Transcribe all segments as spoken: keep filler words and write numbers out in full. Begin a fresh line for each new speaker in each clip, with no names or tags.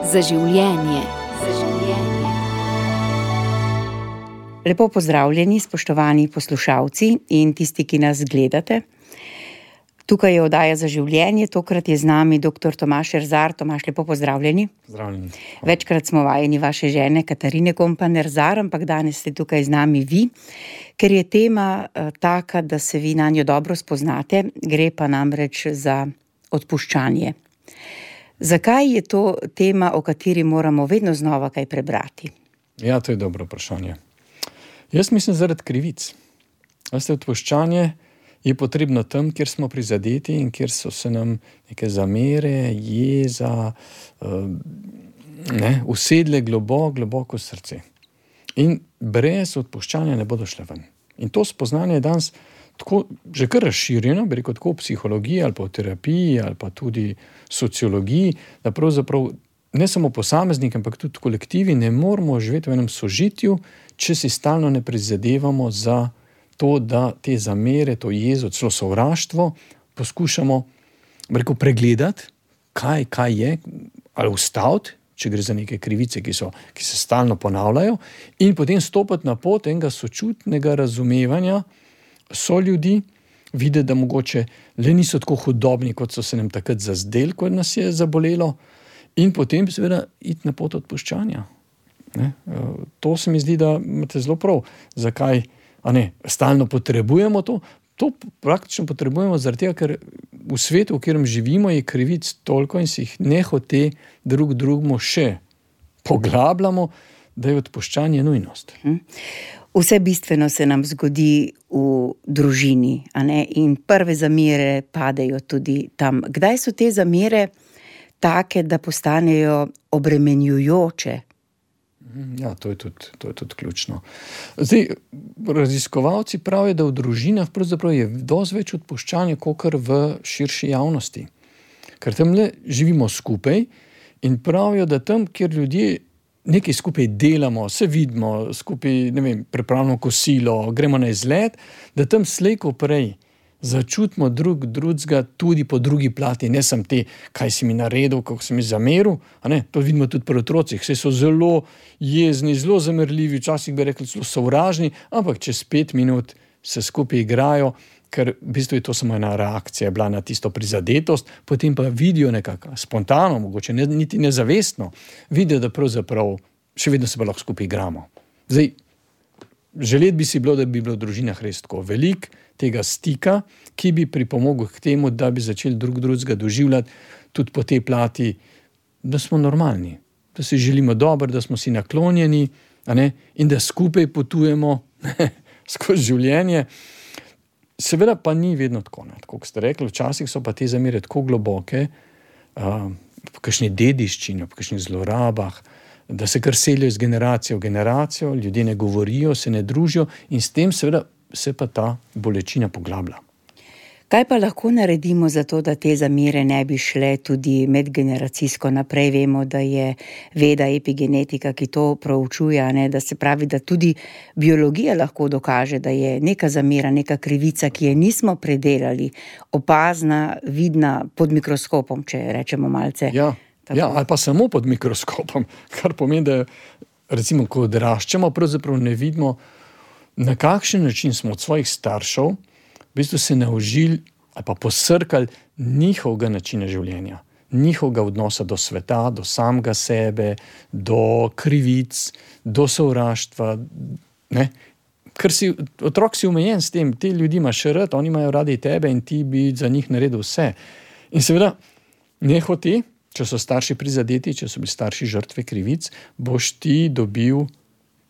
Za življenje. Za življenje.
Lepo pozdravljeni, spoštovani poslušalci in tisti, ki nas gledate. Tukaj je oddaja Za življenje, tokrat je z nami doktor Tomaž Erzar. Tomaž, lepo pozdravljeni.
Pozdravljeni.
Večkrat smo vajeni vaše žene Katarine Kompan Erzar, ampak danes ste tukaj z nami vi, ker je tema uh, taka, da se vi nanjo dobro spoznate, gre pa namreč za odpuščanje. Zakaj je to tema, o kateri moramo vedno znova kaj prebrati?
Ja, to je dobro vprašanje. Jaz mislim zaradi krivic. Veste, odpuščanje je potrebno tam, kjer smo prizadeti in kjer so se nam neke zamere, jeza, ne, usedle globoko, globoko v srce. In brez odpuščanja ne bodo šle ven. In to spoznanje je danes tako, že kar razširjeno, bi rekel tako v psihologiji ali pa v terapiji ali pa tudi sociologiji, da pravzaprav ne samo posamezniki, ampak tudi kolektivi ne moramo živeti v enem sožitju, če si stalno ne prizadevamo za to, da te zamere, to jezo, celo sovraštvo poskušamo, bi rekel, pregledati, kaj, kaj je, ali ustaviti, če gre za neke krivice, ki, so, ki se stalno ponavljajo, in potem stopiti na pot enega sočutnega razumevanja so ljudi, videti, da mogoče le niso tako hudobni, kot so se nam takrat zazdeli, ko nas je zabolelo, in potem seveda iti na pot odpuščanja. Ne? To se mi zdi, da imate zelo prav. Zakaj? A ne, stalno potrebujemo to? To praktično potrebujemo zaradi tega, ker v svetu, v katerem živimo, je krivic toliko in si jih nehote drug drugemu še poglabljamo, da je odpuščanje nujnost.
Vse bistveno se nam zgodi v družini, a ne? In prve zamere padejo tudi tam. Kdaj so te zamere take, da postanejo obremenjujoče?
Ja, to je tudi, to je tudi ključno. Zdaj, raziskovalci pravijo, da v družinah pravzaprav je dosti več odpuščanja kakor v širši javnosti. Ker tam le živimo skupaj in pravijo, da tam, kjer ljudje nekaj skupaj delamo, se vidimo, skupaj, ne vem, pripravimo kosilo, gremo na izlet, da tam slej ko prej začutimo drug drugega tudi po drugi plati, ne samo te, kaj si mi naredil, kako si mi zameril, a ne, to vidimo tudi pri otrocih, saj so zelo jezni, zelo zamerljivi, včasih bi rekli zelo sovražni, ampak čez pet minut se skupaj igrajo, ker v bistvu je to samo ena reakcija bila na tisto prizadetost, potem pa vidijo nekako spontano, mogoče ne, niti nezavestno, vidijo, da pravzaprav še vedno se pa lahko skupaj igramo. Zdaj, želeti bi si bilo, da bi bilo v družinah res tako veliko tega stika, ki bi pripomogel k temu, da bi začeli drug drugega doživljati tudi po tej plati, da smo normalni, da si želimo dobro, da smo si naklonjeni, a ne, in da skupaj potujemo skozi življenje. Seveda pa ni vedno tako, ne, tako kot ste rekli, včasih so pa te zamere tako globoke, uh, po kakšni dediščini, po kakšnih zlorabah, da se kar selijo iz generacijo v generacijo, ljudje ne govorijo, se ne družijo in s tem seveda se pa ta bolečina poglablja.
Kaj pa lahko naredimo za to, da te zamere ne bi šle tudi medgeneracijsko naprej? Vemo, da je veda epigenetika, ki to proučuje, ne, da se pravi, da tudi biologija lahko dokaže, da je neka zamera, neka krivica, ki je nismo predelali, opazna, vidna pod mikroskopom, če rečemo malce.
Ja, ja, ali pa samo pod mikroskopom, kar pomeni, da recimo, ko odraščamo, pravzaprav ne vidimo, na kakšen način smo od svojih staršev v bistvu se naučili ali pa posrkali njihovega načina življenja, njihovega odnosa do sveta, do samega sebe, do krivic, do sovraštva, ne? Ker si, otrok si omejen s tem, te ljudi imaš rad, oni imajo radi tebe in ti bi za njih naredil vse. In seveda, nehote, če so starši prizadeti, če so bili starši žrtve krivic, boš ti dobil,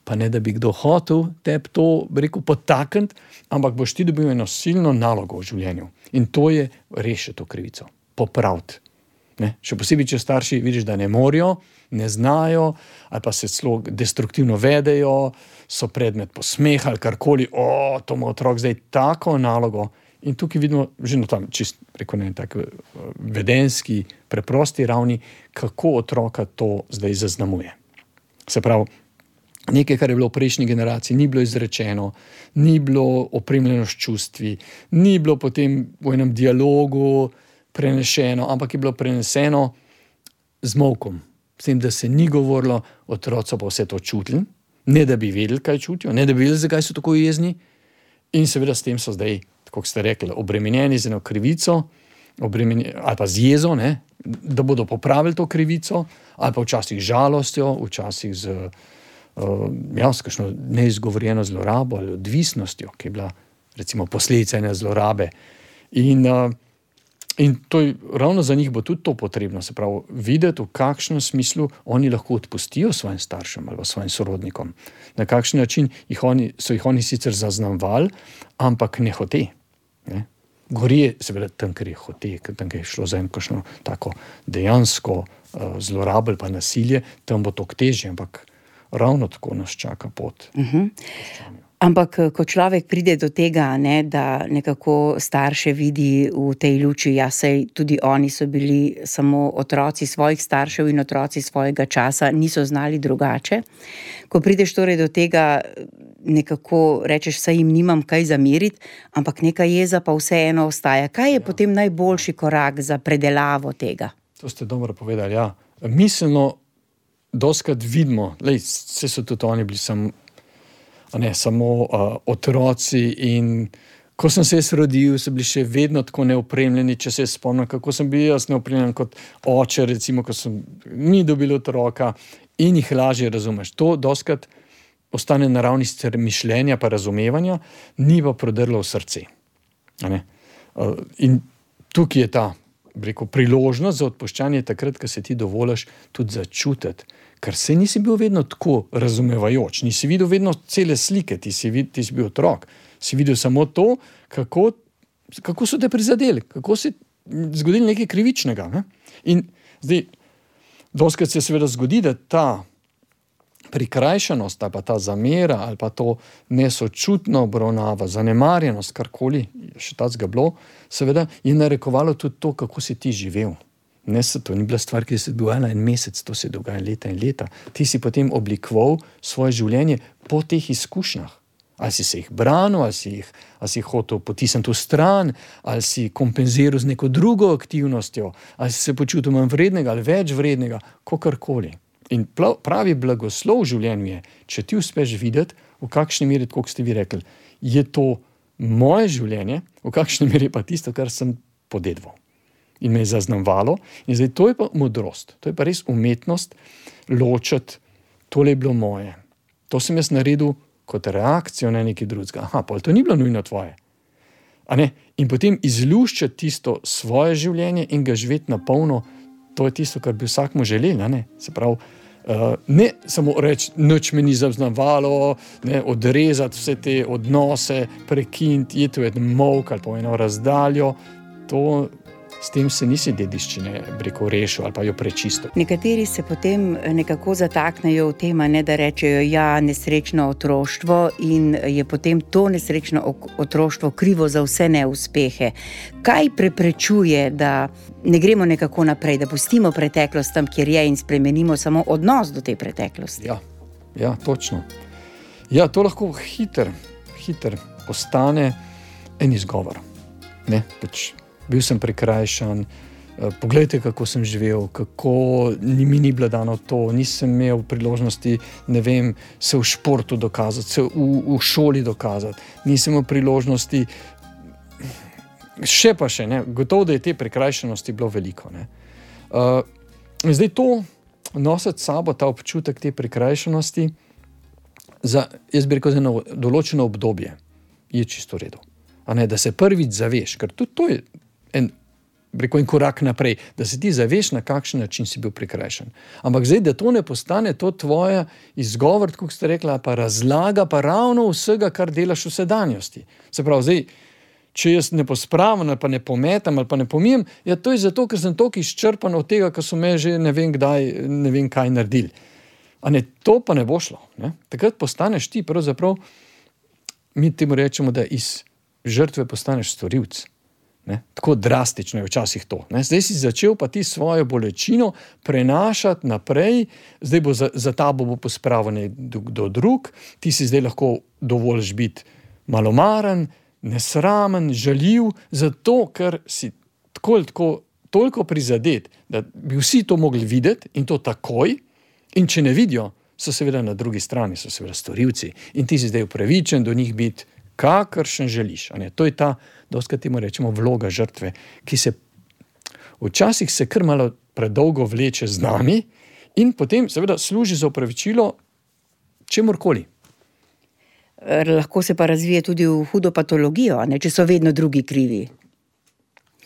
pa ne da bi kdo hotel tebi to, rekel, potakniti, ampak boš ti dobil eno silno nalogo v življenju. In to je rešiti to krivico, popraviti. Ne? Še posebej, če starši vidiš, da ne morejo, ne znajo, ali pa se celo destruktivno vedejo, so predmet posmeha ali karkoli, o, to ima otrok zdaj tako nalogo. In tukaj vidimo že na tam, čist, preko ne, tako vedenski, preprosti ravni, kako otroka to zdaj zaznamuje. Se pravi, nekaj, kar je bilo v prejšnji generaciji, ni bilo izrečeno, ni bilo opremljeno s čustvi, ni bilo potem v enem dialogu prenešeno, ampak je bilo preneseno z molkom, s tem, da se ni govorilo, otroci pa vse to čutili, ne da bi vedeli, kaj čutijo, ne da bi vedeli, zakaj so tako jezni. In seveda s tem so zdaj, tako ste rekli, obremenjeni z eno krivico, ali pa z jezo, ne, da bodo popravili to krivico, ali pa včasih žalostjo, včasih z, uh, ja, s kakšno neizgovorjeno zlorabo ali odvisnostjo, ki je bila recimo posledica ene zlorabe. In, uh, in to je, ravno za njih bo tudi to potrebno, se pravi, videti, v kakšnem smislu oni lahko odpustijo svojim staršem ali svojim sorodnikom. Na kakšen način jih oni, so jih oni sicer zaznamovali, ampak ne hote. Ne? Gori je seveda tam, ker je hote, tam, ker je šlo za eno kakšno tako dejansko uh, zlorabo ali pa nasilje, tam bo to težje, ampak ravno tako nas čaka pot.
Uh-huh. Ampak, ko človek pride do tega, ne, da nekako starše vidi v tej luči, ja, saj tudi oni so bili samo otroci svojih staršev in otroci svojega časa, niso znali drugače. Ko prideš torej do tega, nekako rečeš, saj jim nimam kaj zameriti, ampak neka jeza pa vseeno ostaja. Kaj je ja. potem najboljši korak za predelavo tega?
To ste dobro povedali, ja. Miselno doskrat vidimo, lej, vse so tudi oni bili sam, ne, samo uh, otroci, in ko sem se jaz rodil, so bili še vedno tako neopremljeni, če se spomnim, kako sem bil jaz neopremljen kot oče, recimo, ko sem ni dobil otroka, in jih lažje razumeš. To doskrat ostane na ravni mišljenja pa razumevanja, ni pa prodrlo v srce. Ne? Uh, in tukaj je ta, rekel, priložnost za odpuščanje takrat, ko se ti dovoliš tudi začutiti, ker se nisi bil vedno tako razumevajoč, nisi videl vedno cele slike, ti si, vid, ti si bil otrok, si videl samo to, kako, kako so te prizadeli, kako se zgodili nekaj krivičnega. Ne? In zdaj, doskrat se seveda zgodi, da ta prikrajšanost, ali pa ta zamera, ali pa to nesočutna obravnava, zanemarjenost, karkoli, še tacga bilo, seveda je narekovalo tudi to, kako si ti živel. Ne, to ni bila stvar, ki se dogajala en mesec, to se dogaja leta in leta. Ti si potem oblikoval svoje življenje po teh izkušnjah. Ali si se jih branil, ali si jih, ali si jih hotel potisniti v stran, ali si kompenziral z neko drugo aktivnostjo, ali si se počutil manj vrednega ali več vrednega, kakorkoli. In pravi blagoslov v življenju je, če ti uspeš videti, v kakšni meri, kot ste vi rekli, je to moje življenje, v kakšni meri pa tisto, kar sem podedval. In me je zaznavalo. In zdaj to je pa modrost, to je pa res umetnost ločiti, tole je bilo moje. To sem jaz naredil kot reakcijo na nekaj drugega. Aha, pa to ni bilo nujno tvoje. A ne? In potem izluščati tisto svoje življenje in ga živeti na polno, to je tisto, kar bi vsakmu želeli. Ne? Se pravi, uh, ne samo reči, nič me ni zaznavalo, ne, odrezati vse te odnose, prekiniti, iti v en molk ali pa v eno razdaljo, to s tem se nisi dediščine breko rešil ali pa jo prečisto.
Nekateri se potem nekako zataknejo v tem, ne, da rečejo, ja, nesrečno otroštvo, in je potem to nesrečno otroštvo krivo za vse neuspehe. Kaj preprečuje, da ne gremo nekako naprej, da pustimo preteklost tam, kjer je, in spremenimo samo odnos do te preteklosti?
Ja, ja, točno. Ja, to lahko hiter, hiter postane en izgovor. Ne, pač bil sem prikrajšan, poglejte, kako sem živel, kako mi ni bilo dano to, nisem imel priložnosti, ne vem, se v športu dokazati, se v, v šoli dokazati, nisem imel priložnosti, še pa še, ne, gotovo, da je te prikrajšanosti bilo veliko. Ne. Uh, zdaj to nositi sabo, ta občutek te prikrajšanosti, za, jaz bi rekel, za eno določeno obdobje, je čisto v redu. A ne, da se prvič zaveš, ker tudi to je En, rekel, en korak naprej, da se ti zaveš, na kakšen način si bil prikrajšan. Ampak zdaj, da to ne postane to tvoja izgovor, kot ste rekla, pa razlaga pa ravno vsega, kar delaš v sedanjosti. Se pravi, zdaj, če jaz ne pospravim ali pa ne pometam ali pa ne pomijem, ja, to je zato, ker sem toliko izčrpan od tega, kar so me že ne vem kdaj, ne vem kaj naredili. A ne, to pa ne bo šlo. Ne? Takrat postaneš ti, pravzaprav, mi temu rečemo, da iz žrtve postaneš storilc. Ne? Tako drastično je včasih to. Ne? Zdaj si začel pa ti svojo bolečino prenašati naprej, zdaj bo za, za tabo bo pospravil nekdo drug, ti si zdaj lahko dovoliš biti malomaren, nesramen, žaljiv, zato ker si tako ali tako toliko prizadet, da bi vsi to mogli videti in to takoj, in če ne vidijo, so seveda na drugi strani, so seveda storilci in ti si zdaj upravičen do njih biti kakršen želiš. A ne? To je ta, dostakrat temu rečemo, vloga žrtve, ki se včasih se kar malo predolgo vleče z nami in potem seveda služi za upravičilo čemurkoli.
Lahko se pa razvije tudi v hudo patologijo, ne, če so vedno drugi krivi.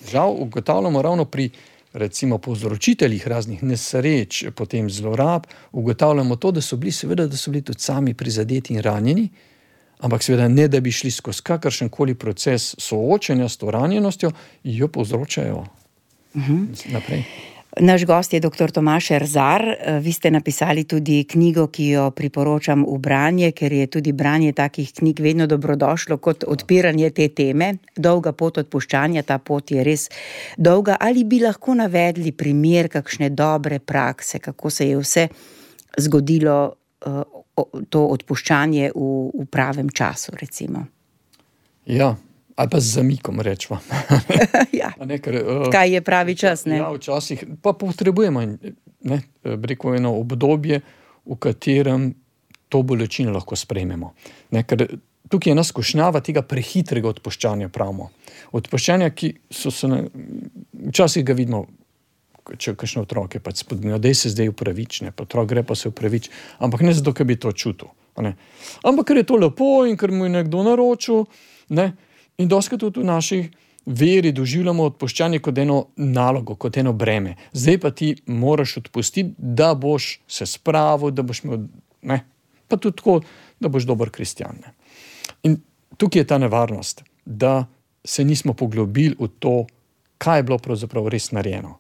Žal ugotavljamo ravno pri recimo povzročiteljih raznih nesreč, potem zlorab, ugotavljamo to, da so bili seveda, da so bili tudi sami prizadeti in ranjeni, ampak seveda ne, da bi šli skozi kakršenkoli proces soočenja s to ranjenostjo, jo povzročajo uh-huh. naprej.
Naš gost je doktor Tomaž Erzar. Vi ste napisali tudi knjigo, ki jo priporočam v branje, ker je tudi branje takih knjig vedno dobrodošlo kot odpiranje te teme. Dolga pot odpuščanja, ta pot je res dolga. Ali bi lahko navedli primer kakšne dobre prakse, kako se je vse zgodilo to odpuščanje v, v pravem času, recimo?
Ja. Ali pa z zamikom, rečva.
ja.
ne, ker, uh,
Kaj je pravi čas, ne?
Ja, včasih pa potrebujemo ne, reko eno obdobje, v katerem to bolečino lahko sprejmemo. Ne, ker tukaj je nas skušnjava tega prehitrega odpuščanja, pravimo. Odpuščanja, ki so se ne, včasih ga vidimo, če kakšne otroke pač spodbujajo, daj se zdaj upravične, pa otrok gre pa se upravič, ampak ne zato, ker bi to čutil. Ne. Ampak ker je to lepo in ker mu je nekdo naročil, ne, in doskrat tudi v naših veri doživljamo odpuščanje kot eno nalogo, kot eno breme. Zdaj pa ti moraš odpustiti, da boš se spravil, da boš imel, ne, pa tudi tako, da boš dober kristjan. Ne. In tukaj je ta nevarnost, da se nismo poglobili v to, kaj je bilo pravzaprav res narejeno.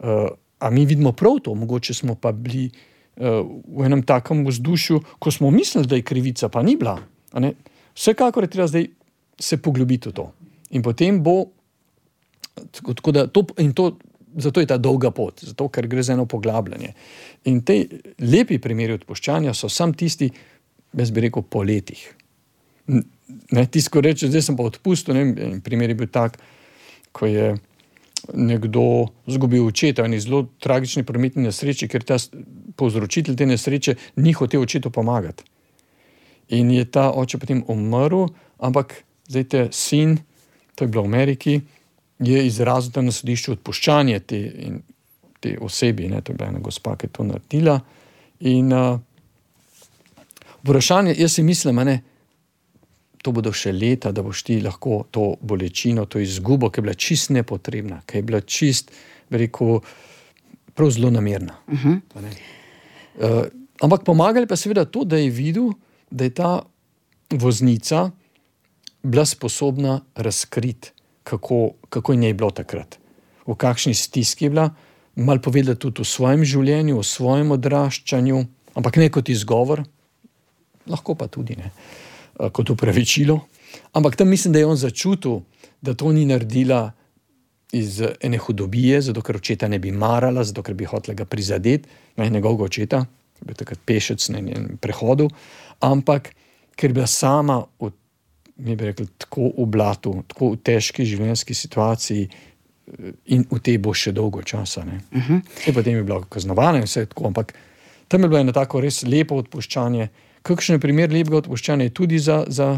Uh, a mi vidimo prav to, mogoče smo pa bili uh, v enem takem vzdušju, ko smo mislili, da je krivica, pa ni bila. A ne? Vsekakor je treba zdaj se poglobiti v to. In potem bo, tako da, to, in to, zato je ta dolga pot, zato, ker gre za eno poglabljanje. In te lepi primeri odpuščanja so sam tisti, jaz bi rekel, po letih. Ne, tisto, ko reče, zdaj sem pa odpustil, ne, primer je bil tak, ko je nekdo zgubil očeta in je zelo tragični prometni nesreči, ker ta povzročitelj te nesreče ni hotel očetu pomagati. In je ta oče potem umrl, ampak zdaj te sin, to je bilo v Ameriki, je izrazil tam na sodišču odpuščanje te, in, te osebi, ne, to je bila ena gospa, ki je to naredila. In uh, vprašanje, jaz si mislim, ne, to bodo še leta, da boš ti lahko to bolečino, to izgubo, ki je bila čist nepotrebna, ki je bila čist, bi rekel, prav zelo namerna. Uh-huh. Uh, ampak pomagali pa seveda to, da je videl, da je ta voznica bila sposobna razkriti, kako, kako je njej bilo takrat. V kakšni stiski je bila, malo povedala tudi o svojem življenju, o svojem odraščanju, ampak ne kot izgovor, lahko pa tudi ne, kot upravičilo. Ampak tam mislim, da je on začutil, da to ni naredila iz ene hudobije, zato ker očeta ne bi marala, zato ker bi hotela ga prizadeti, ne, njegovega očeta, ki je bil takrat pešec na njenem prehodu, ampak ker bi bila sama v mi bi rekli, tako v blatu, tako v težki življenjski situaciji in v tej bo še dolgo časa. Ne. Uh-huh. In potem je bila kaznovana in vse tako, ampak tam je bilo eno tako res lepo odpuščanje. Kakšen primer lepega odpuščanja je tudi za, za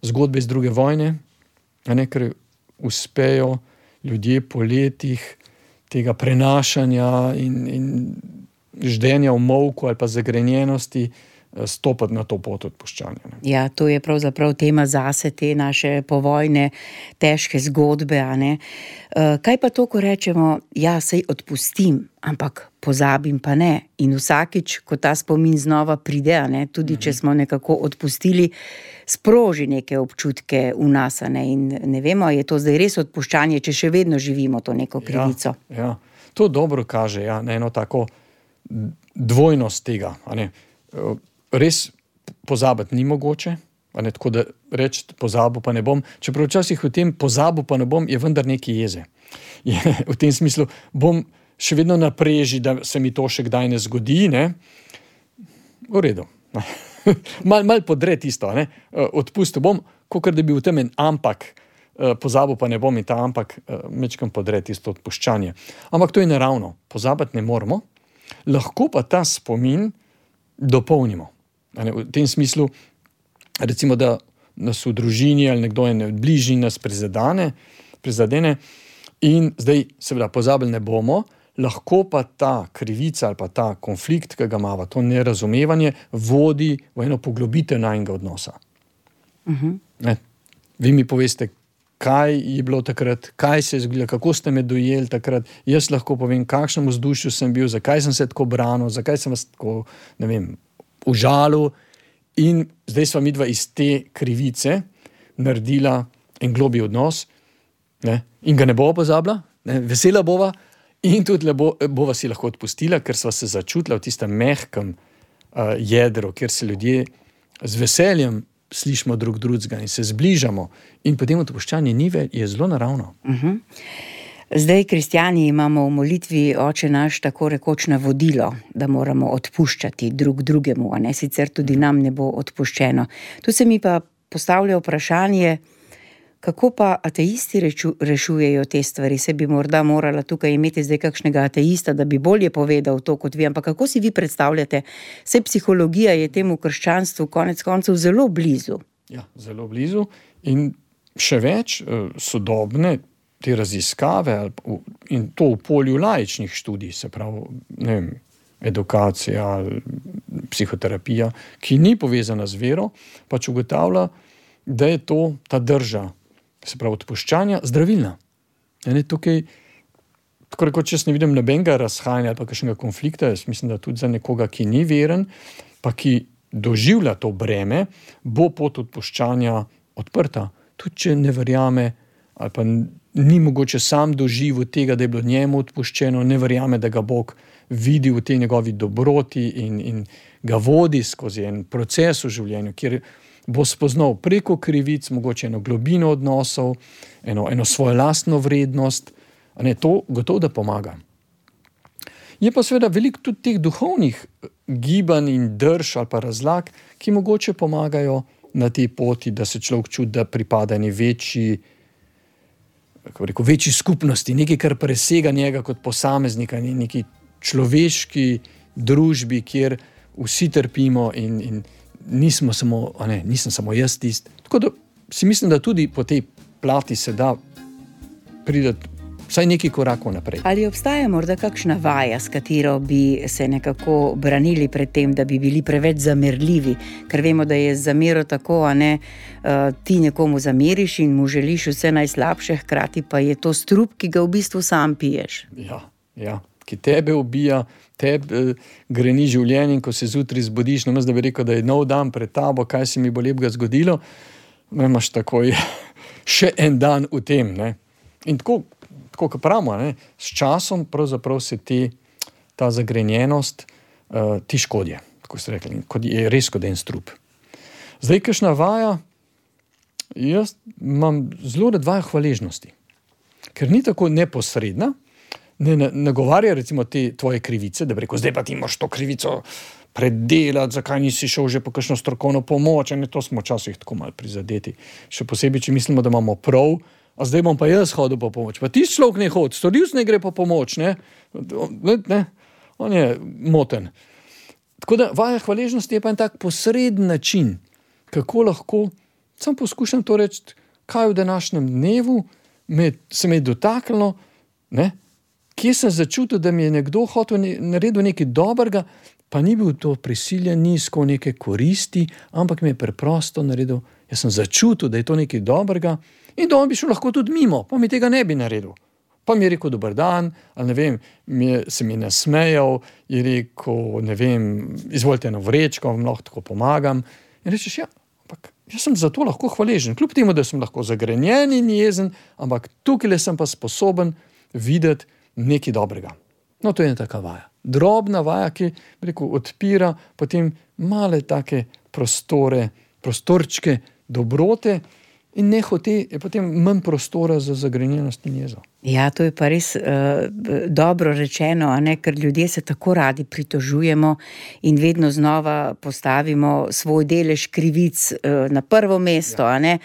zgodbe iz druge vojne, a ne, ker uspejo ljudje po letih tega prenašanja in, in ždenja v molku ali pa zagrenjenosti stopati na to pot odpuščanja. Ne.
Ja, to je pravzaprav tema zase, te naše povojne težke zgodbe. A ne? Kaj pa to, ko rečemo, ja, sej odpustim, ampak pozabim pa ne. In vsakič, ko ta spomin znova pride, a ne, tudi če smo nekako odpustili, sproži neke občutke v nas. A ne? In ne vemo, je to zdaj res odpuščanje, če še vedno živimo to neko krivico.
Ja, ja. To dobro kaže, ja, na eno tako dvojnost tega, a ne. Res pozabiti ni mogoče, a ne, tako da reči pozabil pa ne bom, čeprav včasih v tem pozabil pa ne bom je vendar nekaj jeze. Je, v tem smislu bom še vedno napreži, da se mi to še kdaj ne zgodi, ne, v redu. Mal, mal podre tisto, ne, odpustil bom, kakor da bi v tem en ampak pozabil pa ne bom in ta, ampak mečkam podre tisto odpuščanje. Ampak to je naravno, pozabiti ne moramo, lahko pa ta spomin dopolnimo. V tem smislu, recimo, da nas v družini ali nekdo je v bližini nas prizadene, prizadene in zdaj seveda pozabili ne bomo, lahko pa ta krivica ali pa ta konflikt, ki ga imava, to nerazumevanje, vodi v eno poglobitev najnega odnosa. Uh-huh. Ne, vi mi poveste, kaj je bilo takrat, kaj se je zgodilo, kako ste me dojeli takrat, jaz lahko povem, kakšnem vzdušju sem bil, zakaj sem se tako branil, zakaj sem vas tako, ne vem, užalil in zdaj sva midva iz te krivice naredila en globlji odnos, ne, in ga ne bova pozabila, ne, vesela bova in tudi bo, bova si lahko odpustila, ker sva se začutila v tistem mehkem uh, jedru, kjer se ljudje z veseljem slišimo drug drugega in se zbližamo in potem odpuščanje ni več, je zelo naravno.
Uh-huh. Zdaj, kristjani, imamo v molitvi Oče naš tako rekoč navodilo, da moramo odpuščati drug drugemu, a ne, sicer tudi nam ne bo odpuščeno. Tu se mi pa postavlja vprašanje, kako pa ateisti reču, rešujejo te stvari? Se bi morda morala tukaj imeti zdaj kakšnega ateista, da bi bolje povedal to kot vi, ampak kako si vi predstavljate? Vse psihologija je temu krščanstvu konec koncev zelo blizu.
Ja, zelo blizu in še več sodobne te raziskave in to v polju laičnih študij, se pravi, ne vem, edukacija, psihoterapija, ki ni povezana z vero, pač ugotavlja, da je to ta drža, se pravi odpuščanja, zdravilna. Ja, ne, tukaj, tako rekoč, jaz ne vidim nobenega razhajanja ali pa kakšnega konflikta, jaz mislim, da tudi za nekoga, ki ni veren, pa ki doživlja to breme, bo pot odpuščanja odprta. Tudi če ne verjame ali pa ni mogoče sam doživel tega, da je bilo njemu odpuščeno, ne verjame, da ga Bog vidi v tej njegovi dobroti in, in ga vodi skozi en proces v življenju, kjer bo spoznal preko krivic mogoče eno globino odnosov, eno, eno svojo lastno vrednost, a ne, to gotovo da pomaga. Je pa seveda veliko tudi teh duhovnih gibanj in drž ali pa razlag, ki mogoče pomagajo na tej poti, da se človek čuti, da pripada eni večji, kako rekel, večji skupnosti, nekaj, kar presega njega kot posameznika, neki človeški družbi, kjer vsi trpimo in, in nismo samo, a ne, nisem samo jaz tist. Tako da si mislim, da tudi po tej plati se da prideti vsaj nekaj korakov naprej.
Ali obstaja morda kakšna vaja, s katero bi se nekako branili pred tem, da bi bili preveč zamerljivi? Ker vemo, da je zamero tako, a ne, uh, ti nekomu zameriš in mu želiš vse najslabše, hkrati pa je to strup, ki ga v bistvu sam piješ.
Ja, ja, ki tebe ubija, tebe greni življenje in ko se zjutraj zbudiš, namesto da bi rekel, da je nov dan pred tabo, kaj se mi bo lepega zgodilo, imaš takoj še en dan v tem, ne. In tako, tako kot pravimo, ne, s časom pravzaprav se te, ta zagrenjenost uh, ti škodje, tako ste rekli, kot je res kot en strup. Zdaj, kakšna vaja, jaz imam zelo rad vajo hvaležnosti, ker ni tako neposredna, ne nagovarja recimo te tvoje krivice, da bi rekel, zdaj pa ti moraš to krivico predelati, zakaj nisi šel že po kakšno strokovno pomoč, ne, to smo včasih tako malo prizadeti. Še posebej, če mislimo, da imamo prav, a zdaj bom pa jaz hodil po pomoč. Pa ti človek ne hodi, storilc ne gre po pomoč, ne? Ne, ne, on je moten. Tako da vaja hvaležnosti je pa en tak posreden način, kako lahko, sam poskušam to reči, kaj v današnjem dnevu me, se me je dotaknilo, ne? Kje sem začutil, da mi je nekdo hotel naredil nekaj dobrega, pa ni bil to prisiljen, ni iskal neke koristi, ampak mi je preprosto naredil, jaz sem začutil, da je to nekaj dobrega in da on bi šel lahko tudi mimo, pa mi tega ne bi naredil. Pa mi je rekel dober dan, ali ne vem, mi je, se mi je nasmejal, je rekel, ne vem, izvolite eno vrečko, vam lahko tako pomagam. In rečeš, ja, ampak jaz sem za to lahko hvaležen, kljub temu, da sem lahko zagrenjen in jezen, ampak tukaj sem pa sposoben videti nekaj dobrega. No, to je ena taka vaja. Drobna vaja, ki, rekel, odpira potem male take prostore, prostorčke dobrote in nehote je potem manj prostora za zagrenjenost in jezo.
Ja, to je pa res uh, dobro rečeno, a ne, ker ljudje se tako radi pritožujemo in vedno znova postavimo svoj delež krivic uh, na prvo mesto, ja. A ne.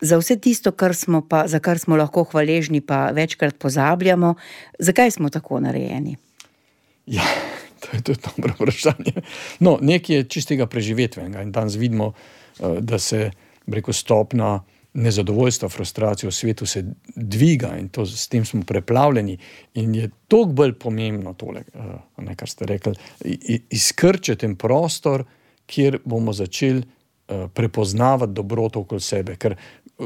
za vse tisto, kar smo pa, za kar smo lahko hvaležni, pa večkrat pozabljamo. Zakaj smo tako narejeni?
Ja, to je tudi dobro vprašanje. No, nekaj je čistega preživetvenega in danes vidimo, da se preko stopna nezadovoljstva, frustracije v svetu se dviga in to, s tem smo preplavljeni in je toliko bolj pomembno tole, ne, kar ste rekli, izkrčiti ten prostor, kjer bomo začeli prepoznavati dobroto okoli sebe, ker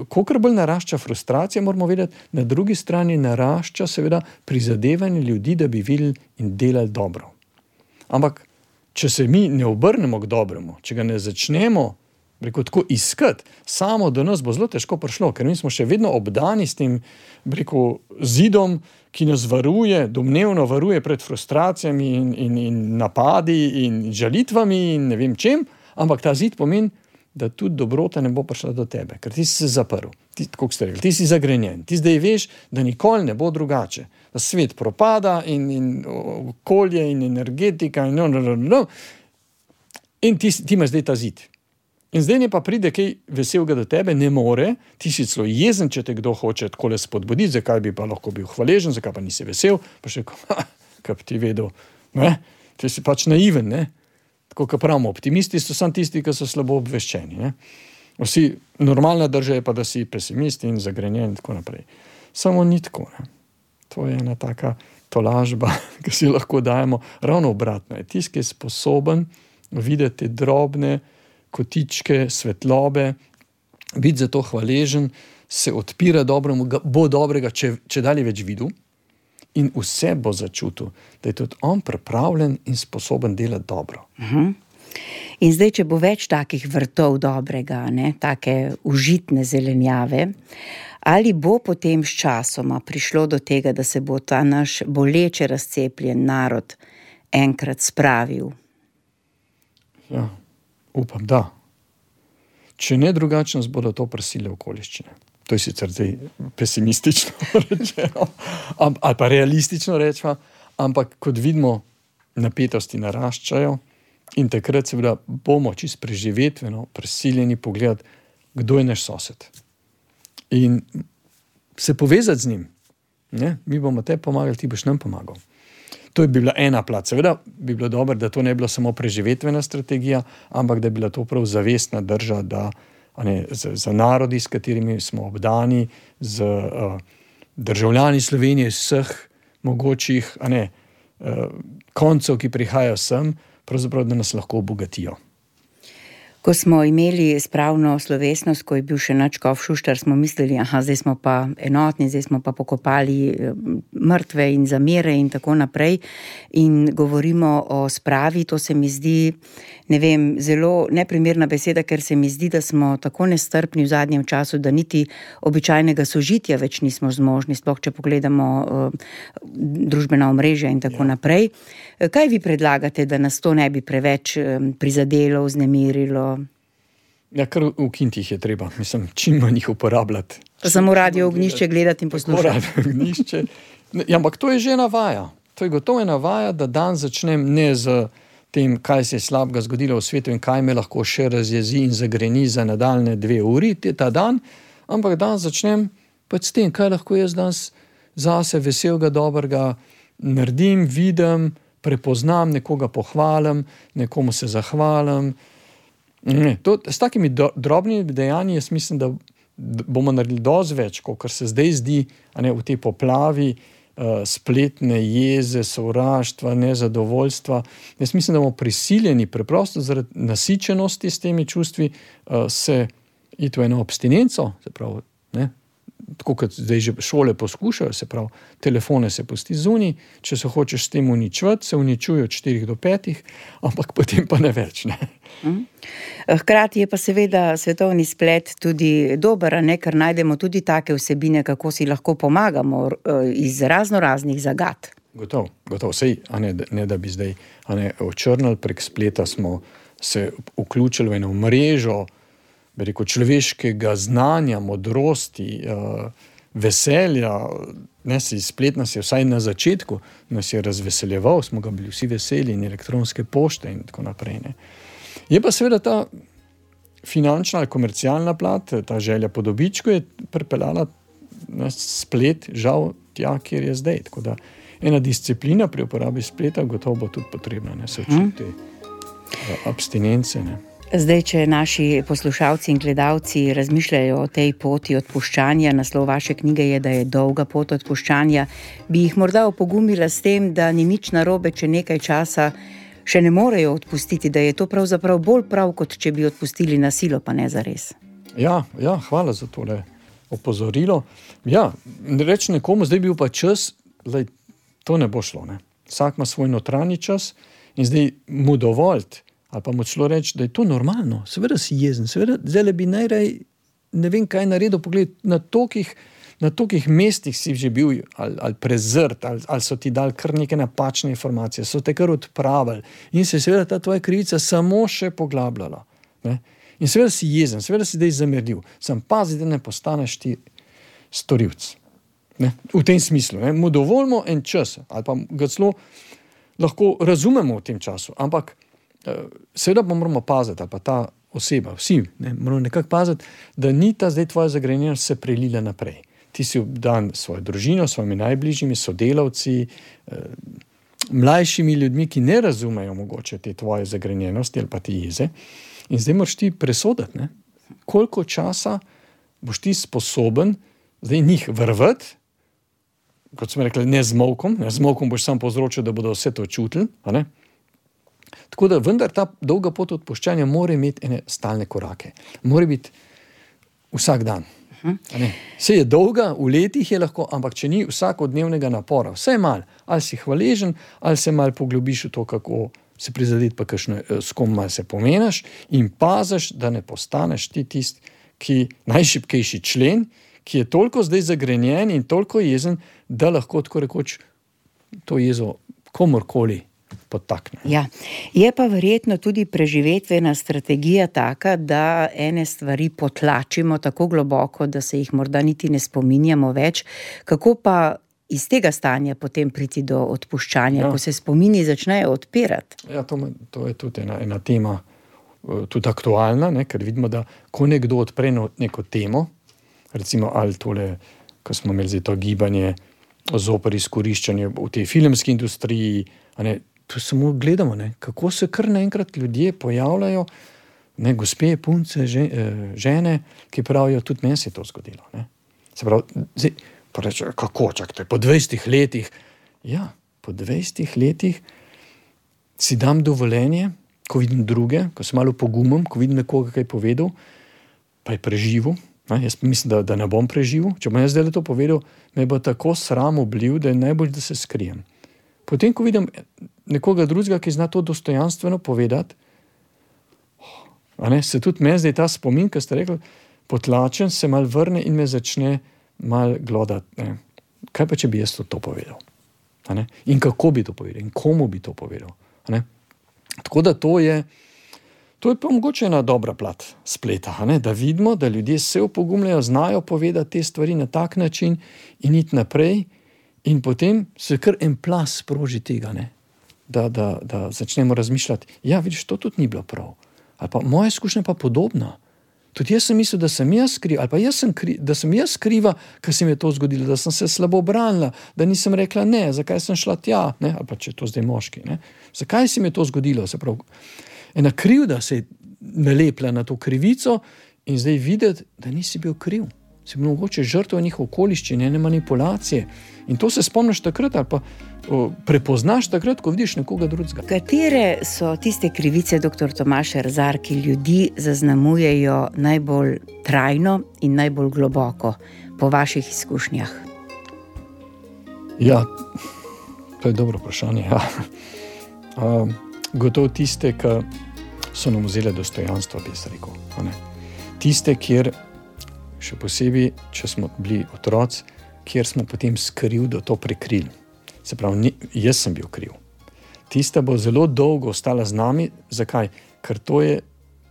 kolikor bolj narašča frustracija, moramo vedeti, na drugi strani narašča seveda prizadevanje ljudi, da bi videli in delali dobro. Ampak, če se mi ne obrnemo k dobremu, če ga ne začnemo Rekel, tako iskati, samo do nas bo zelo težko prišlo, ker mi smo še vedno obdani s tem rekel, zidom, ki nas varuje, domnevno varuje pred frustracijami in, in, in napadi in žalitvami in ne vem čem, ampak ta zid pomeni, da tudi dobrota ne bo prišla do tebe, ker ti si se zaprl, ti, kako ste rekli, ti si zagrenjen, ti zdaj veš, da nikoli ne bo drugače, da svet propada in, in okolje in energetika in no, no, no, no. In ti, ti imaš zdaj ta zid. In zdaj ne pa pride kaj veselega do tebe, ne more, ti si celo jezen, če te kdo hoče takole spodbuditi, zakaj bi pa lahko bil hvaležen, zakaj pa nisi vesel, pa še kaj bi ti vedel, ne? Ti si pač naiven, ne? Tako, kot pravimo, optimisti so samo tisti, ki so slabo obveščeni, ne? Vsi, normalna drža je pa, da si pesimist in zagrenjen in tako naprej. Samo ni tako, ne? To je ena taka tolažba, ki si lahko dajemo, ravno obratno je. Tisti, ki je sposoben videti drobne kotičke, svetlobe, biti za to hvaležen, se odpira dobremu, bo dobrega, če, če dalje več videl in vse bo začutil, da je tudi on pripravljen in sposoben delati dobro.
Uh-huh. In zdaj, če bo več takih vrtov dobrega, ne, take užitne zelenjave, ali bo potem s časoma prišlo do tega, da se bo ta naš boleče razcepljen narod enkrat spravil?
Ja. Upam, da. Če ne drugače, nas bodo to prisile okoliščine. To je sicer zdaj pesimistično rečeno, ali pa realistično rečeno, ampak kot vidimo, napetosti naraščajo in takrat seveda bomo čisto preživetveno prisiljeni pogledati, kdo je naš sosed. In se povezati z njim. Ne? Mi bomo te pomagali, ti boš nam pomagal. To je bi bila ena plat. Seveda bi bilo dobro, da to ne bi bilo samo preživetvena strategija, ampak da bi bila to prav zavestna drža, da ne, za, za narodi, s katerimi smo obdani, z uh, državljani Slovenije, vseh mogočih a ne, uh, koncev, ki prihajajo sem, pravzaprav, da nas lahko obogatijo.
Ko smo imeli spravno slovesnost, ko je bil še Nadškof Šuštar, smo mislili, aha, zdaj smo pa enotni, zdaj smo pa pokopali mrtve in zamere in tako naprej. In govorimo o spravi, to se mi zdi, ne vem, zelo neprimerna beseda, ker se mi zdi, da smo tako nestrpni v zadnjem času, da niti običajnega sožitja več nismo zmožni, sploh če pogledamo uh, družbena omrežja in tako ja. naprej. Kaj vi predlagate, da nas to ne bi preveč um, prizadelo, vznemirilo?
Ja, kar ukiniti jih je treba. Mislim, čim manj jih uporabljati.
Pa samo radio Ognjišče gledati in poslušati.
Radio Ognjišče. Ja, ampak to je že navaja. To je gotovo navaja, da dan začnem ne z tem, kaj se je slabega zgodilo v svetu in kaj me lahko še razjezi in zagreni za nadaljne dve uri ta dan, ampak dan začnem pač s tem, kaj lahko jaz danes zase veselega, dobrega naredim, vidim, prepoznam, nekoga pohvalim, nekomu se zahvalim. Ne, to, s takimi do, drobnimi dejanji jaz mislim, da bomo naredili dosti več, kot se zdaj zdi, a ne, v tej poplavi uh, spletne jeze, sovraštva, nezadovoljstva. Jaz mislim, da bomo prisiljeni preprosto zaradi nasičenosti s temi čustvi uh, se iti v eno abstinenco, se pravi, ne, tako kot zdaj že šole poskušajo, se pravi, telefone se pusti zunaj, če se hočeš s tem uničevati, se uničuje od štirih do petih, ampak potem pa ne več, ne.
Hkrati je pa seveda svetovni splet tudi dober, ne, ker najdemo tudi take vsebine, kako si lahko pomagamo iz razno raznih zagad.
Gotov, gotov, sej, a ne, ne da bi zdaj a ne, očrnili, prek spleta smo se vključili v eno mrežo, bi rekel, človeškega znanja, modrosti, uh, veselja, ne, si splet nas je vsaj na začetku, nas je razveseljeval, smo ga bili vsi veseli in elektronske pošte in tako naprej, ne. Je pa seveda ta finančna ali komercialna plat, ta želja po dobičku je pripeljala na splet, žal, tja, kjer je zdaj. Tako da ena disciplina pri uporabi spleta gotovo bo tudi potrebna, ne, se učiti hmm. abstinence, ne.
Zdaj, če naši poslušalci in gledalci razmišljajo o tej poti odpuščanja, naslov vaše knjige je, da je dolga pot odpuščanja, bi jih morda opogumila s tem, da ni nič narobe, če nekaj časa še ne morejo odpustiti, da je to pravzaprav bolj prav, kot če bi odpustili na silo, pa ne zares.
Ja, ja, hvala za tole opozorilo. Ja, reči nekomu, zdaj bil pa čas, lej, to ne bo šlo, ne. Vsak ima svoj notranji čas in zdaj mu dovoljt, ali pa mu celo reči, da je to normalno, seveda si jezen, seveda zdaj bi najrej ne vem kaj naredil, pogled, na tokih, na tokih mestih si že bil ali, ali prezrt, ali, ali so ti dali kar neke napačne informacije, so te kar odpravili in se seveda ta tvoja krivica samo še poglabljala. Ne? In seveda si jezen, seveda si zdaj zameril, sam pazi, da ne postaneš ti storilc. Ne? V tem smislu, ne? Mu dovoljimo en čas, ali pa ga celo lahko razumemo v tem času, ampak seveda pa moramo paziti, ali pa ta oseba, vsi, ne, moramo nekako paziti, da ni ta zdaj tvoja zagrenjenost se prelila naprej. Ti si obdan svojo družino, svojimi najbližjimi, sodelavci, eh, mlajšimi ljudmi, ki ne razumejo mogoče te tvoje zagrenjenosti ali pa te jeze. In zdaj moraš ti presoditi, ne, koliko časa boš ti sposoben zdaj njih vrvati, kot smo rekli, ne z molkom, ne z molkom boš sam povzročil, da bodo vse to čutili, a ne? Tako da vendar ta dolga pot odpuščanja mora imeti ene stalne korake. Mora biti vsak dan. Uh-huh. Vse je dolga, v letih je lahko, ampak če ni vsakodnevnega napora, vse je mal, ali si hvaležen, ali se mal poglobiš v to, kako se prizadeti, pa kakšno, s kom mal se pomenaš in paziš, da ne postaneš ti tist, ki najšibkejši člen, ki je toliko zdaj zagrenjen in toliko jezen, da lahko tako rekoč to jezo komorkoli podtakne.
Ja, je pa verjetno tudi preživetvena strategija taka, da ene stvari potlačimo tako globoko, da se jih morda niti ne spominjamo več. Kako pa iz tega stanja potem priti do odpuščanja, ja. Ko se spomini začnejo odpirati?
Ja, to, to je tudi ena, ena tema, tudi aktualna, ne, ker vidimo, da ko nekdo odpre neko temo, recimo ali tole, ko smo imeli zdaj to gibanje zoper izkoriščanje v tej filmski industriji, a ne, to samo gledamo, ne, kako se kar naenkrat ljudje pojavljajo, ne, gospe, punce, žene, ki pravijo, tudi meni se je to zgodilo. Ne. Se pravi, zdaj, pa reče, kako, čakajte, po dvajsetih letih, ja, po dvajsetih letih si dam dovoljenje, ko vidim druge, ko sem malo pogumem, ko vidim nekoga, kaj je povedal, pa je preživel, ne, jaz mislim, da, da ne bom preživel, če bom jaz zdaj to povedal, me bo tako sram obliv, da je najbolj, da se skrijem. Potem, ko vidim nekoga drugega, ki zna to dostojanstveno povedati, a ne, se tudi meni zdaj ta spomin, ki ste rekli, potlačen, se mal vrne in me začne mal glodati. Ne. Kaj pa, če bi jaz to, to povedal? A ne? In kako bi to povedal? In komu bi to povedal? A ne? Tako da to je, to je pa mogoče ena dobra plat spleta, a ne? Da vidimo, da ljudje se opogumljajo, znajo povedati te stvari na tak način in iti naprej, in potem se kar en plas sproži tega, ne? Da, da, da začnemo razmišljati, ja, vidiš, to tudi ni bilo prav. Ali pa moja izkušnja pa podobna. Tudi jaz sem mislil, da sem jaz kriva, ali pa jaz sem kriva, da sem jaz kriva, ker se mi je to zgodilo, da sem se slabo branila, da nisem rekla ne, zakaj sem šla tja, ne? Ali pa če je to zdaj moški, ne? Zakaj se mi je to zgodilo? Se pravi, ena krivda se je nalepla na to krivico in zdaj videti, da nisi bil kriv. Si bil mogoče žrtev njih okoliščin, ene manipulacije. In to se spomniš takrat ali pa o, prepoznaš takrat, ko vidiš nekoga drugega.
Katere so tiste krivice, doktor Tomaž Erzar, ki ljudi zaznamujejo najbolj trajno in najbolj globoko po vaših izkušnjah?
Ja, to je dobro vprašanje. Ja. Um, gotovo tiste, ki so nam vzele dostojanstvo, bi jaz rekel. Ne? Tiste, kjer še posebej, če smo bili otroci, kjer smo potem skrivdo to prekrili. Se pravi, ni, jaz sem bil kriv. Tista bo zelo dolgo ostala z nami. Zakaj? Ker to je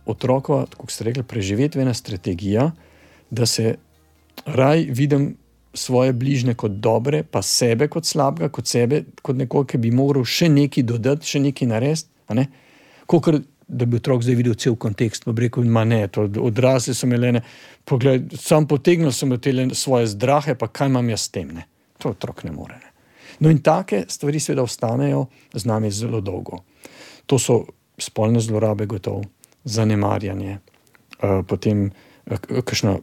otrokova, kako ste rekli, preživetvena strategija, da se raj vidim svoje bližnje kot dobre, pa sebe kot slabega, kot sebe, kot nekoga, ki bi moral še nekaj dodati, še nekaj narediti. A ne? Kakor da bi otrok zdaj videl cel kontekst, pa bi rekel, ma ne, to odrasli so imeli, ne, pogled, sam potegnil sem imeli svoje zdrahe, pa kaj imam jaz s tem, ne. To otrok ne more, ne. No in take stvari seveda ostanejo z nami zelo dolgo. To so spolne zlorabe gotovo, zanemarjanje, uh, potem uh, kakšna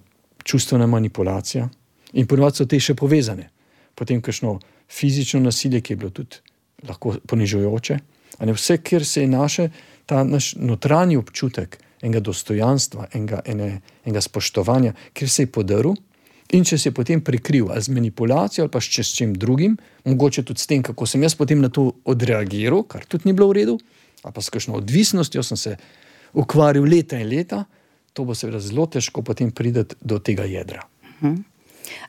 čustvena manipulacija in ponovadi so te še povezane. Potem kakšno fizično nasilje, ki je bilo tudi lahko ponižujoče. A ne, vse, kjer se je naše, ta naš notranji občutek enega dostojanstva, enega, ene, enega spoštovanja, kjer se je podaril in če se je potem prikril ali z manipulacijo ali pa s čem drugim, mogoče tudi s tem, kako sem jaz potem na to odreagiral, kar tudi ni bilo v redu, ali pa s kakšno odvisnostjo sem se ukvarjal leta in leta, to bo seveda zelo težko potem priti do tega jedra.
Mhm.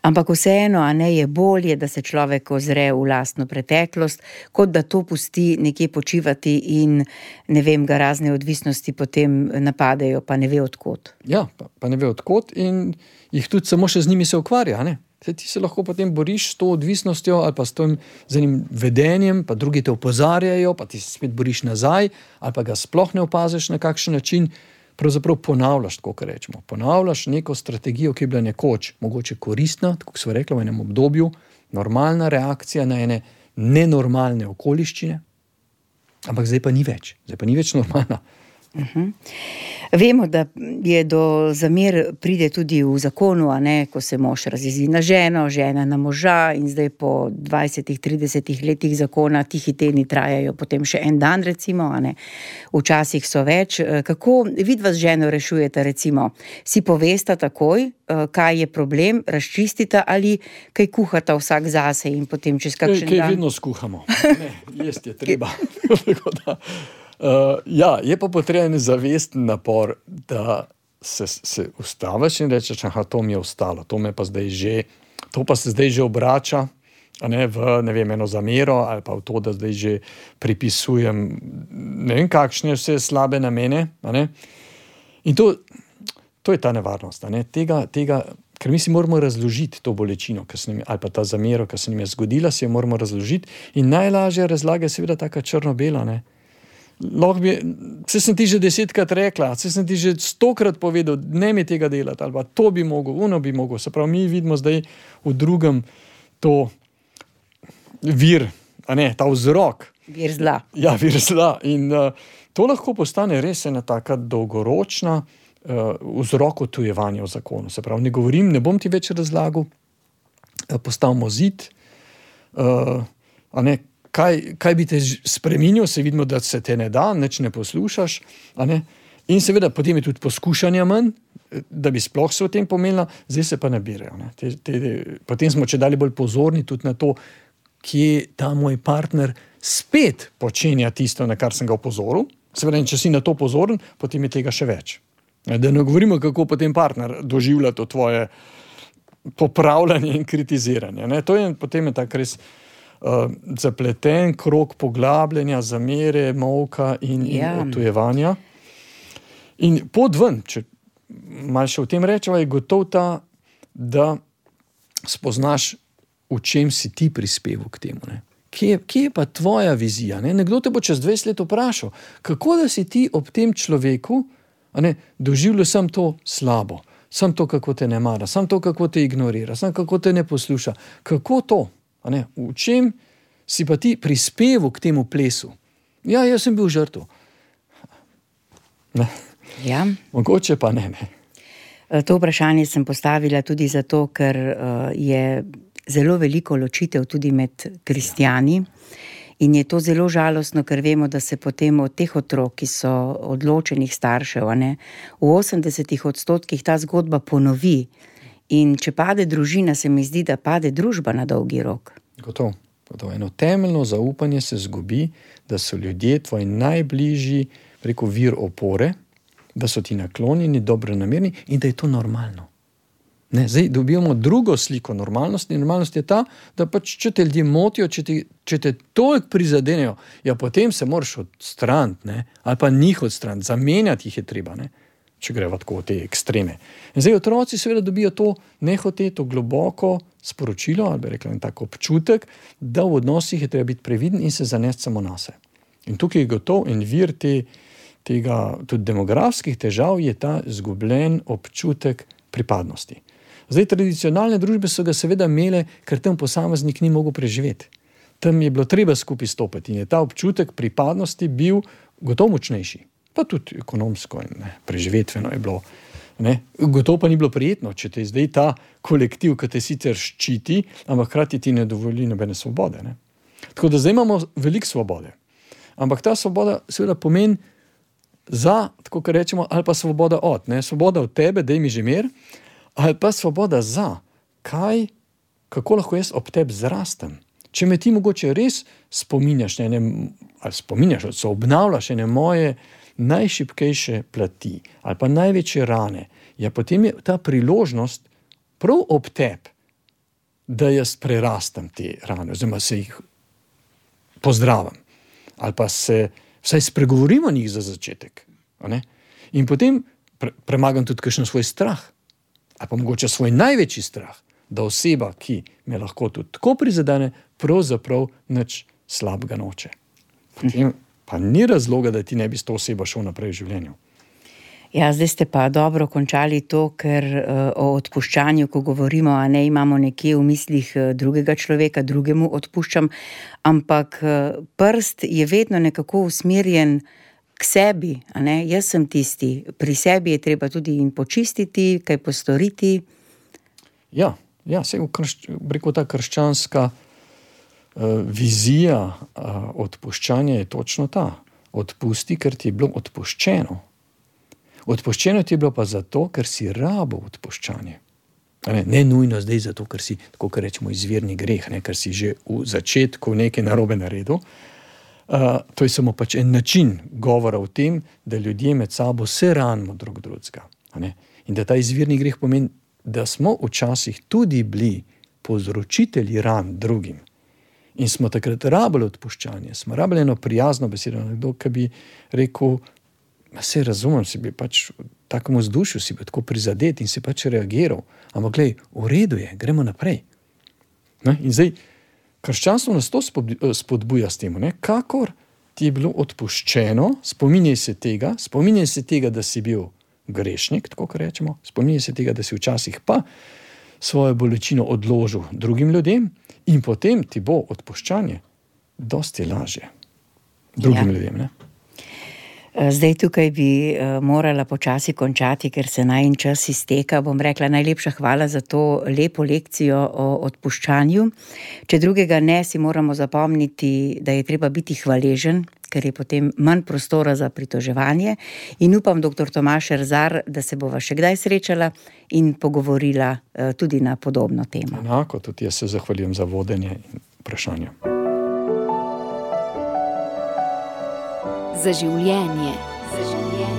Ampak vseeno, a ne, je bolje, da se človek ozre v lastno preteklost, kot da to pusti nekje počivati in ne vem, ga razne odvisnosti potem napadejo, pa ne ve odkot.
Ja, pa, pa ne ve odkot in jih tudi samo še z njimi se ukvarja, ne. Ti se lahko potem boriš s to odvisnostjo ali pa s tem z enim vedenjem, pa drugi te opozarjajo, pa ti se spet boriš nazaj, ali pa ga sploh ne opaziš na kakšen način. Pravzaprav ponavljaš, tako kar rečemo. Ponavljaš neko strategijo, ki je bila nekoč mogoče koristna, tako smo rekli v enem obdobju, normalna reakcija na ene nenormalne okoliščine, ampak zdaj pa ni več. Zdaj pa ni več normalna.
Uh-huh. Vemo, da je do zamer pride tudi v zakonu, a ne, ko se mož razjezi na ženo, žena na moža in zdaj po dvajsetih, tridesetih letih zakona ti hiteni trajajo potem še en dan, recimo, a ne. Včasih so več. Kako vidva z ženo rešujete, recimo? Si povesta takoj, kaj je problem, razčistita ali kaj kuhata vsak zase in potem čez kakšen
kaj,
dan?
Kaj vedno skuhamo. Ne, jest je treba. Tako da... Uh, ja, je pa potreben zavesten napor, da se, se ustaviš in rečeš, aha, to mi je ostalo, to me pa zdaj že, to pa se zdaj že obrača, a ne, v, ne vem, eno zamero, ali pa v to, da zdaj že pripisujem, ne vem, kakšne vse slabe namene, a ne. In to, to je ta nevarnost, a ne, tega, tega, ker mi si moramo razložiti to bolečino, nam, ali pa ta zamero, ki se nam je zgodila, si jo moramo razložiti in najlažja razlaga je seveda taka črno-bela, ne. Lahko bi, vse sem ti že desetkrat rekla, vse sem ti že stokrat povedal, ne mi tega delati, ali pa to bi mogel, ono bi mogel. Se pravi, mi vidimo zdaj v drugem to vir, a ne, ta vzrok.
Vir zla.
Ja, vir zla. In uh, to lahko postane res ena taka dolgoročna uh, vzrok odtujevanja v zakonu. Se pravi, ne govorim, ne bom ti več razlagal, uh, postavimo zid, uh, a ne, Kaj, kaj bi te spreminjal, se vidimo, da se te ne da, nič ne poslušaš, a ne? In seveda potem je tudi poskušanja manj, da bi sploh se o tem pomenila, zdaj se pa nabirajo. Ne? Te, te, potem smo čedalje bolj pozorni tudi na to, kje ta moj partner spet počenja tisto, na kar sem ga opozoril. Seveda, če si na to pozoren, potem je tega še več. Da ne govorimo, kako potem partner doživlja to tvoje popravljanje in kritiziranje. Ne? To je potem je tak res Uh, zapleten krog poglabljanja, zamere, molka in,
ja.
in odtujevanja. In pot ven, če malo še o tem rečeva, je gotov ta, da spoznaš, v čem si ti prispeval k temu. Ne? Kje, kje je pa tvoja vizija? Ne? Nekdo te bo čez dvajset let vprašal, kako da si ti ob tem človeku, a ne, doživljal sam to slabo, sam to, kako te ne mara, sam to, kako te ignorira, sam kako te ne posluša. Kako to? A ne, v čem si pa ti prispeval k temu plesu? Ja, jaz sem bil žrtev. Ne.
Ja.
Mogoče pa ne, ne.
To vprašanje sem postavila tudi zato, ker uh, je zelo veliko ločitev tudi med kristjani in je to zelo žalostno, ker vemo, da se potem od teh otrok, ki so odločenih staršev, a ne, v osemdesetih odstotkih ta zgodba ponovi. In če pade družina, se mi zdi, da pade družba na dolgi rok.
Gotovo. Gotovo. Eno temeljno zaupanje se zgubi, da so ljudje tvoji najbližji, preko vir opore, da so ti naklonjeni, dobronamerni in da je to normalno. Ne, zdaj dobivamo drugo sliko normalnosti. Normalnost je ta, da pač če te ljudje motijo, če te, če te toliko prizadenejo, ja potem se moraš odstraniti, ne, ali pa njih odstraniti, zamenjati jih je treba, ne. Če greva tako v te ekstreme. In zdaj otroci seveda dobijo to nehote, to globoko sporočilo, ali bi rekla en tak občutek, da v odnosih je treba biti previden in se zanesti samo nase. In tukaj je gotov en vir te, tega, tudi demografskih težav, je ta izgubljen občutek pripadnosti. Zdaj, tradicionalne družbe so ga seveda imele, ker tam posameznik ni mogel preživeti. Tam je bilo treba skupaj stopiti in je ta občutek pripadnosti bil gotovo močnejši. Pa tudi ekonomsko in ne, preživetveno je bilo. Ne. Gotovo pa ni bilo prijetno, če te zdaj ta kolektiv, ki te sicer ščiti, ampak hkrati ti ne dovoli nobene svobode. Ne. Tako da zdaj imamo veliko svobode. Ampak ta svoboda seveda pomeni za, tako kar rečemo, ali pa svoboda od. Ne. Svoboda od tebe, daj mi že mir, ali pa svoboda za, kaj, kako lahko jaz ob tebi zrastem. Če me ti mogoče res spominjaš, ne, ne, ali spominjaš, ali se obnavljaš ene moje najšibkejše plati, ali pa največje rane, ja, potem je ta priložnost prav ob tebi, da jaz prerastam te rane, oziroma se jih pozdravim, ali pa se vsaj spregovorim o njih za začetek. Ne? In potem pre, premagam tudi kakšen svoj strah, ali pa mogoče svoj največji strah, da oseba, ki me lahko tudi tako prizadene, pravzaprav nič slabega noče. Potem pa ni razloga, da ti ne bi s to osebo šel naprej v življenju.
Ja, zdaj ste pa dobro končali to, ker uh, o odpuščanju, ko govorimo, a ne imamo nekje v mislih drugega človeka, drugemu odpuščam, ampak uh, prst je vedno nekako usmerjen k sebi, a ne? Jaz sem tisti, pri sebi je treba tudi in počistiti, kaj postoriti.
Ja, ja, se v krš, rekel, ta krščanska uh, vizija uh, odpuščanja je točno ta. Odpusti, ker ti je bilo odpuščeno. Odpuščeno ti je bilo pa zato, ker si rabo odpuščanje. Ne, ne nujno zdaj zato, ker si, tako kar rečemo, izvirni greh, ne, ker si že v začetku nekaj narobe naredil. Uh, to je samo pač en način govora o tem, da ljudje med sabo se ranimo drug drugega. In da ta izvirni greh pomeni, da smo včasih tudi bili povzročitelji ran drugim. In smo takrat rabili odpuščanje, smo rabili eno prijazno besedo, nekdo, ki bi rekel, se razumem, si bi pač v takem vzdušju si bi tako prizadet in si pač reagiral. Ampak glej, v redu je, gremo naprej. Ne? In zdaj, krščanstvo nas to spodbuja s tem, ne? Kakor ti je bilo odpuščeno, spominjaj se tega, spominjaj se tega, da si bil grešnik, tako kar rečemo, spominjaj se tega, da si včasih pa svojo bolečino odložil drugim ljudem in potem ti bo odpuščanje dosti lažje drugim ja. ljudem, ne?
Zdaj tukaj bi morala počasi končati, ker se najin čas izteka. Bom rekla najlepša hvala za to lepo lekcijo o odpuščanju. Če drugega ne, si moramo zapomniti, da je treba biti hvaležen, ker je potem manj prostora za pritoževanje. In upam, doktor Tomaž Erzar, da se bova še kdaj srečala in pogovorila tudi na podobno temo.
Enako, tudi jaz se zahvaljujem za vodenje in vprašanje.
Za življenje. Za življenje.